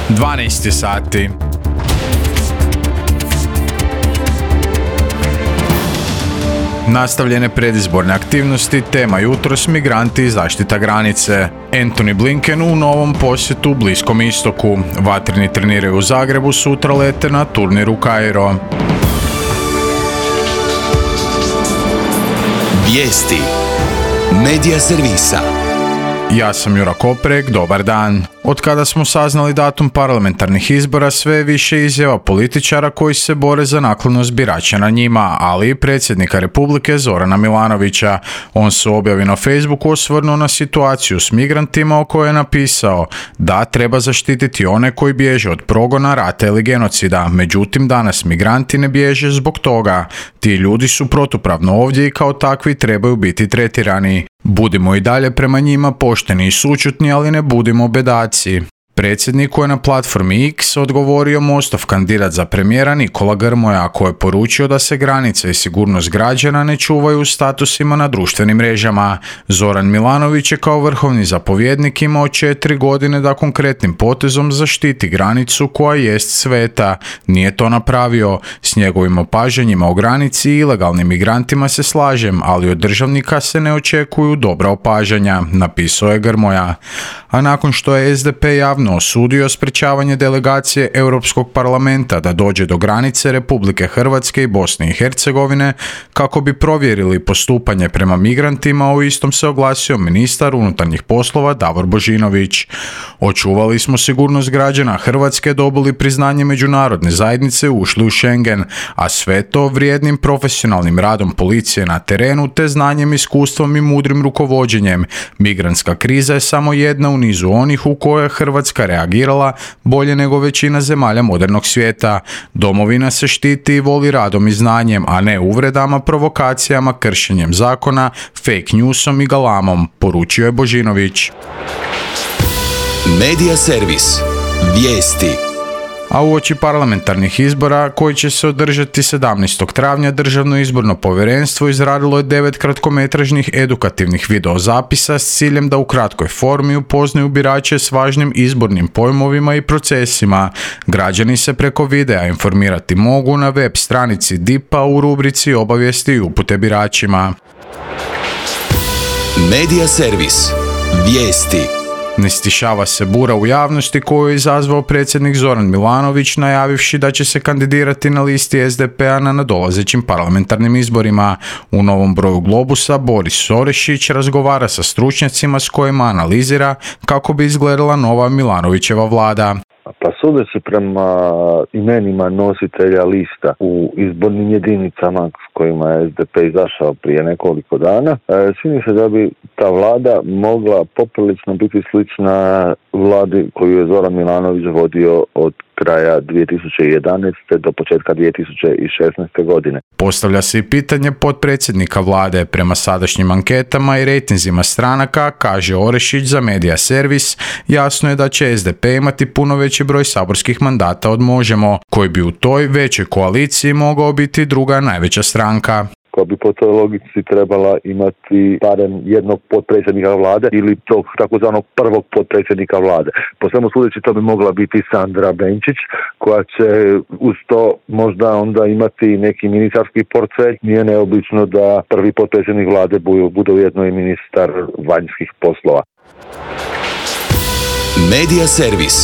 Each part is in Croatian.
12 sati. Nastavljene predizborne aktivnosti, tema jutros migranti i zaštita granice. Antony Blinken u novom posjetu Bliskom istoku. Vatreni treniraju u Zagrebu, sutra lete na turnir u Kairo. Vijesti Medija servisa. Ja sam Jura Koprek, dobar dan. Od kada smo saznali datum parlamentarnih izbora, sve je više izjava političara koji se bore za naklonost birača na njima, ali i predsjednika Republike Zorana Milanovića. On se u objavi na Facebooku osvrnuo na situaciju s migrantima o kojoj je napisao da treba zaštititi one koji bježe od progona, rata ili genocida. Međutim, danas migranti ne bježe zbog toga. Ti ljudi su protupravno ovdje i kao takvi trebaju biti tretirani. Budimo i dalje prema njima pošteni i sućutni, ali ne budimo bedaci. Predsjedniku je na platformi X odgovorio Mostov kandidat za premijera Nikola Grmoja, koji je poručio da se granice i sigurnost građana ne čuvaju u statusima na društvenim mrežama. Zoran Milanović je kao vrhovni zapovjednik imao 4 godine da konkretnim potezom zaštiti granicu koja jest sveta. Nije to napravio. S njegovim opažanjima o granici i ilegalnim migrantima se slažem, ali od državnika se ne očekuju dobra opažanja, napisao je Grmoja. A nakon što je SDP javno osudio sprečavanje delegacije Europskog parlamenta da dođe do granice Republike Hrvatske i Bosne i Hercegovine kako bi provjerili postupanje prema migrantima, u istom se oglasio ministar unutarnjih poslova Davor Božinović. Očuvali smo sigurnost građana Hrvatske, dobili priznanje međunarodne zajednice, ušli u Schengen, a sve to vrijednim profesionalnim radom policije na terenu te znanjem, iskustvom i mudrim rukovođenjem. Migrantska kriza je samo jedna u nizu onih u kojoj je Hrvatska reagirala bolje nego većina zemalja modernog svijeta. Domovina se štiti i voli radom i znanjem, a ne uvredama, provokacijama, kršenjem zakona, fake newsom i galamom, poručio je Božinović. Medija servis. Vijesti. A uoči parlamentarnih izbora koji će se održati 17. travnja, Državno izborno povjerenstvo izradilo je 9 kratkometražnih edukativnih videozapisa s ciljem da u kratkoj formi upoznaju birače s važnim izbornim pojmovima i procesima. Građani se preko videa informirati mogu na web stranici DIP-a u rubrici obavijesti i upute biračima. Medija servis. Vijesti. Ne stišava se bura u javnosti koju je izazvao predsjednik Zoran Milanović najavivši da će se kandidirati na listi SDP-a na nadolazećim parlamentarnim izborima. U novom broju Globusa Boris Orešić razgovara sa stručnjacima s kojima analizira kako bi izgledala nova Milanovićeva vlada. Pa sudeći prema imenima nositelja lista u izbornim jedinicama s kojima je SDP izašao prije nekoliko dana, čini se da bi ta vlada mogla poprilično biti slična vladi koju je Zoran Milanović vodio od kraja 2011. do početka 2016. godine. Postavlja se i pitanje potpredsjednika vlade. Prema sadašnjim anketama i rejtinzima stranaka, kaže Orešić za Medija servis, jasno je da će SDP imati puno veći broj saborskih mandata od Možemo, koji bi u toj većoj koaliciji mogao biti druga najveća stranka. Koja bi po toj logici trebala imati barem jednog potpredsjednika vlade ili tog takozvanog prvog potpredsjednika vlade. Po svemu sudeći to bi mogla biti Sandra Benčić, koja će uz to možda onda imati neki ministarski portfelj. Nije neobično da prvi potpredsjednik vlade bude ujedno i ministar vanjskih poslova. Medija servis.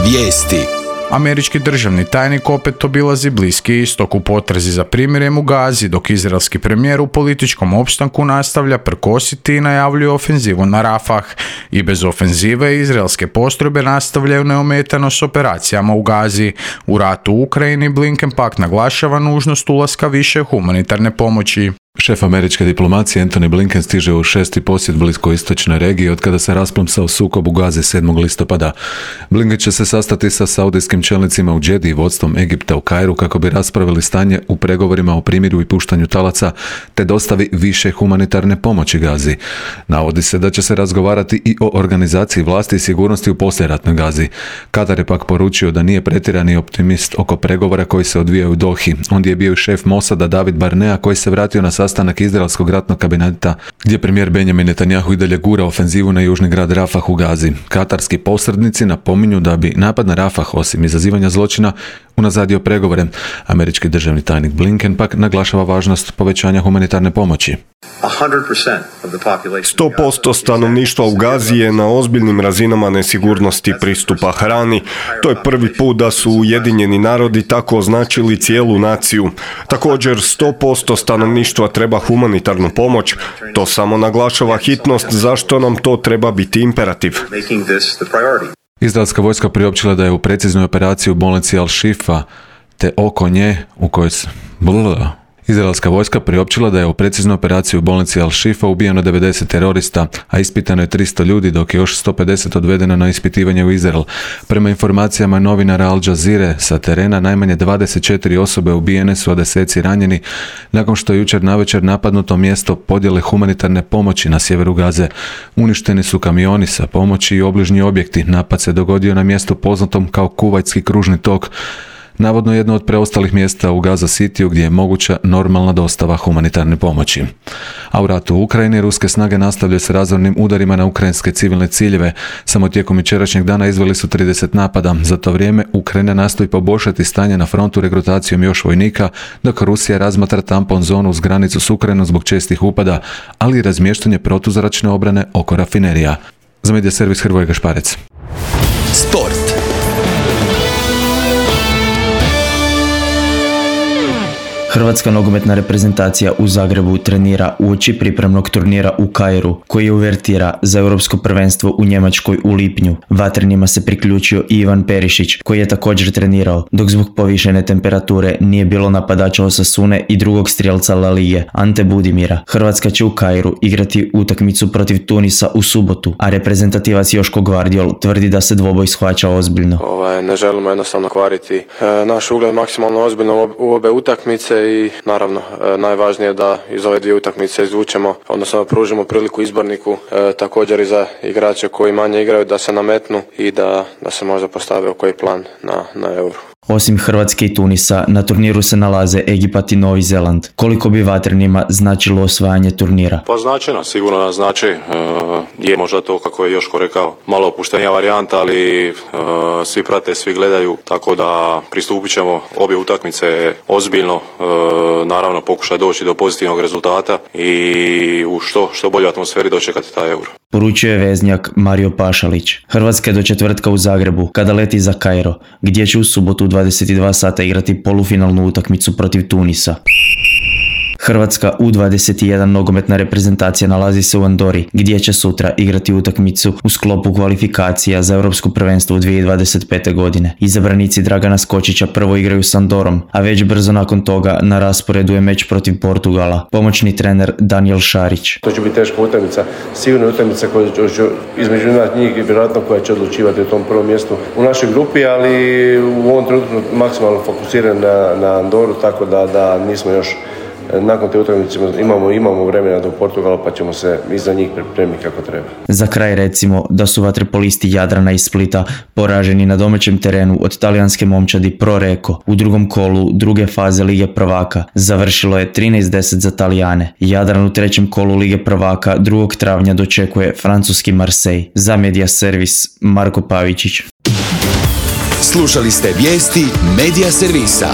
Vijesti. Američki državni tajnik opet obilazi Bliski istok u potrazi za primirjem u Gazi, dok izraelski premijer u političkom opstanku nastavlja prkositi i najavljuje ofenzivu na Rafah. I bez ofenzive izraelske postrojbe nastavljaju neometano s operacijama u Gazi. U ratu u Ukrajini Blinken pak naglašava nužnost ulaska više humanitarne pomoći. Šef američke diplomacije Antony Blinken stiže u 6. posjet bliskoistočnoj regiji od kada se rasplomsao sukob u Gazi 7. listopada. Blinken će se sastati sa saudijskim čelnicima u Džedi i vodstvom Egipta u Kairu kako bi raspravili stanje u pregovorima o primirju i puštanju talaca te dostavi više humanitarne pomoći Gazi. Navodi se da će se razgovarati i o organizaciji vlasti i sigurnosti u poslijeratnoj Gazi. Katar je pak poručio da nije pretjerani optimist oko pregovora koji se odvijaju u Dohi. Ondje je bio i šef Mosada David Barnea koji se vratio na sastanak izraelskog ratnog kabineta gdje premijer Benjamin Netanjahu i dalje gura ofenzivu na južni grad Rafah u Gazi. Katarski posrednici napominju da bi napad na Rafah, osim izazivanja zločina, unazadio pregovore. Američki državni tajnik Blinken pak naglašava važnost povećanja humanitarne pomoći. 100% stanovništva u Gazi je na ozbiljnim razinama nesigurnosti pristupa hrani. To je prvi put da su Ujedinjeni narodi tako označili cijelu naciju. Također 100% stanovništva treba humanitarnu pomoć. To samo naglašava hitnost zašto nam to treba biti imperativ. Izraelska vojska priopćila da je u preciznoj operaciji u bolnici Al-Shifa te oko nje u kojoj se... Izraelska vojska priopćila da je u preciznoj operaciji u bolnici Al-Shifa ubijeno 90 terorista, a ispitano je 300 ljudi, dok je još 150 odvedeno na ispitivanje u Izrael. Prema informacijama novinara Al Jazeere sa terena, najmanje 24 osobe ubijene su, a deseci ranjeni, nakon što je jučer navečer napadnuto mjesto podjele humanitarne pomoći na sjeveru Gaze. Uništeni su kamioni sa pomoći i obližnji objekti. Napad se dogodio na mjestu poznatom kao Kuvajtski kružni tok, navodno jedno od preostalih mjesta u Gaza Cityu gdje je moguća normalna dostava humanitarne pomoći. A u ratu u Ukrajini ruske snage nastavljaju s razornim udarima na ukrajinske civilne ciljeve. Samo tijekom jučerašnjeg dana izveli su 30 napada. Za to vrijeme Ukrajina nastoji poboljšati stanje na frontu regrutacijom još vojnika, dok Rusija razmatra tampon zonu uz granicu s Ukrajinom zbog čestih upada, ali i razmještanje protuzračne obrane oko rafinerija. Za Medija servis Hrvoje Gašparec. Sport. Hrvatska nogometna reprezentacija u Zagrebu trenira uoči pripremnog turnira u Kairu, koji uvertira za europsko prvenstvo u Njemačkoj u lipnju. Vatrenima se priključio i Ivan Perišić, koji je također trenirao, dok zbog povišene temperature nije bilo napadača Osasune i drugog strijelca La Lige, Ante Budimira. Hrvatska će u Kairu igrati utakmicu protiv Tunisa u subotu, a reprezentativac Joško Gvardiol tvrdi da se dvoboj shvaća ozbiljno. Ne želimo jednostavno kvariti naš ugled maksimalno ozbiljno u obe utakmice i naravno najvažnije je da iz ove dvije utakmice izvučemo, odnosno pružimo priliku izborniku, također i za igrače koji manje igraju da se nametnu i da se možda postave u koji plan na Euro. Osim Hrvatske i Tunisa, na turniru se nalaze Egipat i Novi Zeland. Koliko bi Vatrenima značilo osvajanje turnira? Pa značajno, sigurno nas znači. Je možda to, kako je Joško rekao, malo opuštenija varijanta, ali svi prate, svi gledaju, tako da pristupit ćemo obje utakmice ozbiljno, naravno pokušaj doći do pozitivnog rezultata i u što boljoj atmosferi dočekati taj Euro. Poručuje veznjak Mario Pašalić. Hrvatska je do četvrtka u Zagrebu, kada leti za Kairo, gdje će u subotu u 22 sata igrati polufinalnu utakmicu protiv Tunisa. Hrvatska U21 nogometna reprezentacija nalazi se u Andori, gdje će sutra igrati utakmicu u sklopu kvalifikacija za Europsko prvenstvo u 2025. godine. Izabranici Dragana Skočića prvo igraju s Andorom, a već brzo nakon toga na rasporedu je meč protiv Portugala. Pomoćni trener Daniel Šarić. To će biti teška utakmica, sigurno utakmica koja će između njih i vjerojatno koja će odlučivati u tom prvom mjestu u našoj grupi, ali u ovom trenutku maksimalno fokusiran na Andoru, tako da nismo još. Nakon te utakmice imamo vremena do Portugala, pa ćemo se i za njih pripremiti kako treba. Za kraj recimo da su vaterpolisti Jadrana i Splita poraženi na domaćem terenu od talijanske momčadi Pro Reko u drugom kolu druge faze Lige prvaka. Završilo je 13:10 za Talijane. Jadran u trećem kolu Lige prvaka 2. travnja dočekuje francuski Marseille. Za Medija servis Marko Pavičić. Slušali ste vijesti Medija servisa.